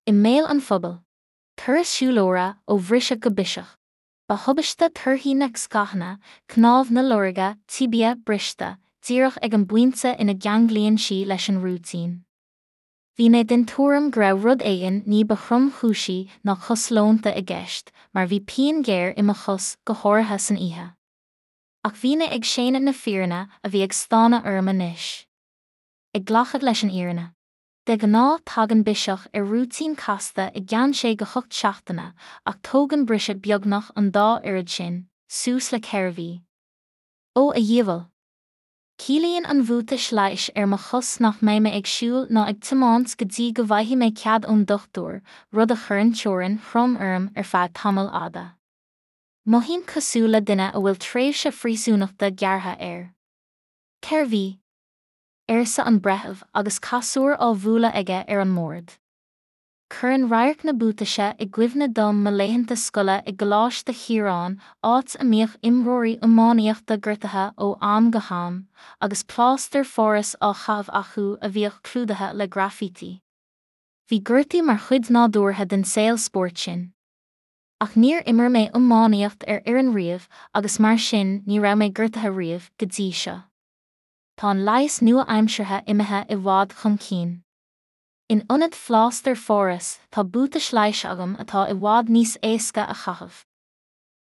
I mbéal an phobail. Turas siúlóra ó bhriseadh go biseach. Ba thubaiste torthaí na scáthanna, cnámh na lorga, tibia, briste, díreach ag an bpointe ina gceanglaíonn sí leis an rúitín. Bhí mé den tuairim go raibh rud éigin ní ba thromchúisí ná cos leonta i gceist, mar bhí pian ghéar i mo chos, go háirithe san oíche. Ach bhí mé ag séanadh na fírinne a bhí ag stánadh orm anois. Ag glacadh leis an fhírinne. De ghnáth tagann biseach ar rúitín casta i gceann 6 go 8 seachtaine ach tógann briseadh beagnach an dá oiread sin, suas le 4 mhí. Ó a dhiabhail! Ciallaíonn an bhuatais leighis ar mo chos nach mbeidh mé ag siúl ná ag tiomáint go dtí go bhfaighidh mé cead ón dochtúir, rud a chuireann teorainn throm orm ar feadh tamaill fhada. Mothaím cosúil le duine a bhfuil tréimhse phríosúnachta gearrtha air. 4 mhí. arsa an breitheamh agus casúr á bhualadh aige ar an mbord. Cuireann radharc na buataise i gcuimhne dom mo laethanta scoile i gColáiste Chiaráin áit a mbíodh imreoirí iománaíochta gortaithe ó am go ham agus plástar Pháras á chaitheamh acu a bhíodh clúdaithe le graifítí. Bhí gortú mar chuid nádúrtha den saol spóirt sin. Ach níor imir mé iománaíocht ar fhoireann riamh agus mar sin ní raibh mé gortaithe riamh, go dtí seo. Tá an leigheas nua-aimseartha imithe i bhfad chun cinn. In ionad phlástar Pháras tá buatais leighis agam atá i bhfad níos éasca a chaitheamh.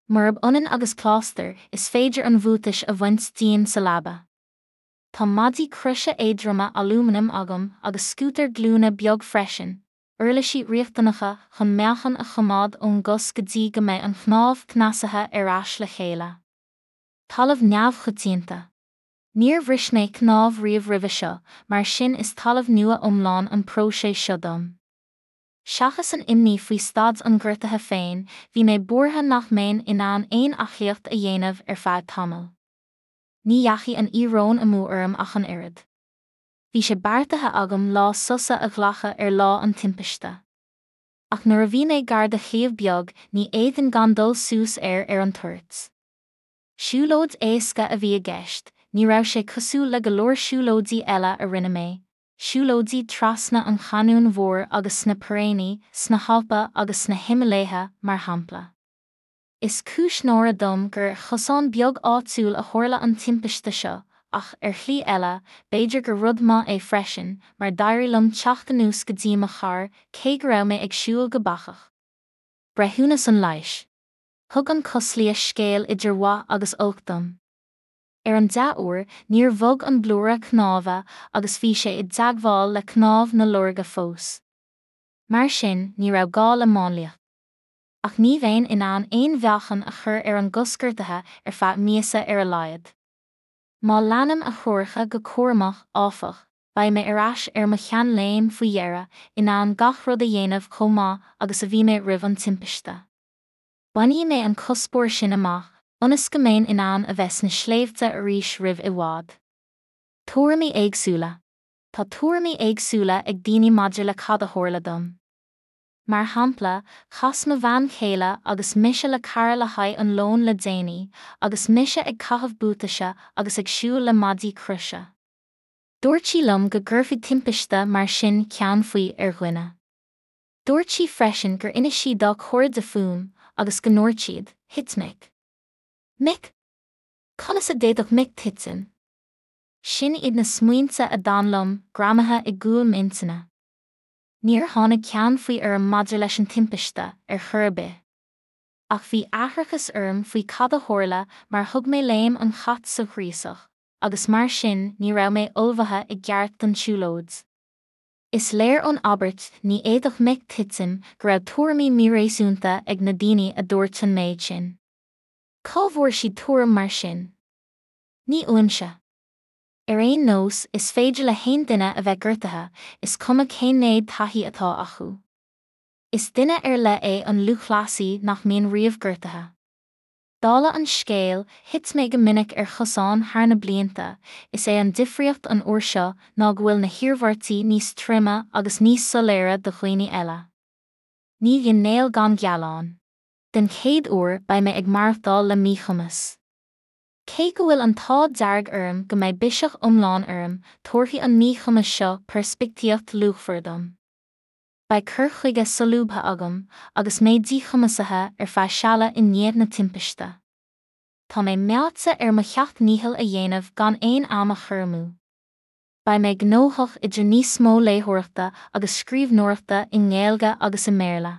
Murab ionann agus plástar, is féidir an bhuatais a bhaint díom sa leaba. Tá maidí croise éadroma alúmanaim agam agus scútar glúine beag freisin, uirlisí riachtanacha chun meáchan a choimeád ón gcos go dtí go mbeidh an chnámh cneasaithe ar ais le chéile. Talamh neamhchoitianta. Níor bhris mé cnámh riamh roimhe seo, mar sin is talamh nua iomlán an próiseas seo dom. Seachas an imní faoi staid an ghortaithe féin, bhí mé buartha nach mbeinn in ann aon aclaíocht a dhéanamh ar feadh tamaill. Ní dheachaigh an íoróin amú orm ach an oiread. Bhí sé beartaithe agam lá sosa a ghlacadh ar lá an timpiste. Ach nuair a bhí mé gar do shliabh beag ní fhéadfainn gan dul suas air ar an toirt. Siúlóid éasca a bhí i gceist, ní raibh sé cosúil le go leor siúlóidí eile a rinne mé, siúlóidí trasna an Chainniúin Mhóir agus sna Piréiní, sna hAlpa agus sna Himiléithe, mar shampla. Is cúis náire dom gur ar chosán beag áitiúil a tharla an timpiste seo, ach, ar shlí eile, b'fhéidir gur rud maith é freisin, mar d'éirigh liom teacht anuas go dtí mo charr, cé go raibh mé ag siúl go bacach. Breithiúnas an leighis. Thug an cosliathas scéal idir mhaith agus olc dom. Ar an dea-uair, níor bhog an blúire cnáimhe agus bhí sé i dteagmháil le cnámh na lorga fós. Mar sin, ní raibh gá le máinliacht. Ach ní bheinn in ann aon mheáchan a chur ar an gcos gortaithe ar feadh míosa ar a laghad. Má leanaim a threoracha go cúramach, áfach, beidh mé ar ais ar mo sheanléim faoi dheireadh, in ann gach rud a dhéanamh chomh maith agus a bhí mé roimh an timpiste. Bainfidh mé an cuspóir sin amach, ionas go mbeinn in ann a bheith sna sléibhte arís roimh i bhfad. Tuairimí éagsúla. Tá tuairimí éagsúla ag daoine maidir le cad a tharla dom. Mar shampla, chas mo bhean chéile agus mise le cara le haghaidh an lóin le déanaí, agus mise ag caitheamh buataise agus ag siúl le maidí croise. Dúirt sí liom go gcuirfeadh timpiste mar sin ceann faoi ar dhuine. Dúirt sí freisin gur inis sí dá cairde fúm agus go ndúirt siad, 'Thit Mick. Mick? Conas a d'fhéadfadh Mick titim? Sin iad na smaointe a d'fhan liom, greamaithe i gcúl m'intinne. Níor tháinig ceann faoi orm maidir leis an timpiste, ar chor ar bith. Ach bhí aithreachas orm faoi cad a tharla mar thug mé léim an chait sa ghríosach, agus mar sin ní raibh mé ullmhaithe i gceart don tsiúlóid. Is léir ón abairt 'ní fhéadfadh Mick titim' go raibh tuairimí míréasúnta ag na daoine a dúirt an méid sin. Cá bhfuair siad tuairim mar sin? Ní uaimse. Ar aon nós, is féidir le haon duine a bheith gortaithe, is cuma cén méid taithí atá acu. Is duine ar leith é an lúthchleasaí nach mbíonn riamh gortaithe. Dála an scéil, thit mé go minic ar chosáin thar na blianta, is é an difríocht an uair seo ná go bhfuil na hiarmhairtí níos troime agus níos soiléire do dhaoine eile. Ní bhíonn néal gan ghealán. Den chéad uair beidh mé ag maireachtáil le míchumas. Cé go bhfuil an t-ádh dearg orm go mbeidh biseach iomlán orm, tabharfaidh an míchumas seo peirspictíocht luachmhar dom. Beidh cur chuige solúbtha agam agus mé díchumasaithe ar feadh seala i ndiaidh na timpiste. Tá mé meáite ar mo sheacht ndícheall a dhéanamh gan aon am a chur amú. Beidh mé gnóthach idir níos mó léitheoireachta agus scríbhneoireachta i nGaeilge agus i mBéarla.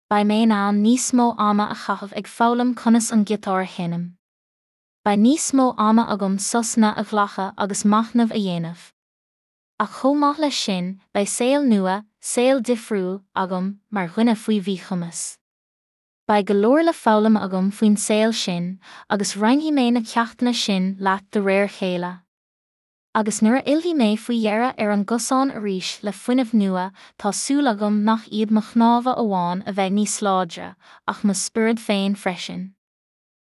Beidh mé in ann níos mó ama a chaitheamh ag foghlaim conas an giotár a sheinm. Beidh níos mó ama agam sosanna a ghlacadh agus machnamh a dhéanamh. Ach chomh maith leis sin, beidh saol nua, saol difriúil, agam mar dhuine faoi mhíchumas. Beidh go leor le foghlaim agam faoin saol sin, agus roinnfidh mé na ceachtanna sin leat de réir a chéile. Agus nuair a fhillfidh mé faoi dheireadh ar an gcosán arís le fuinneamh nua, tá súil agam nach iad mo chnámha amháin a bheidh níos láidre, ach mo spiorad féin freisin.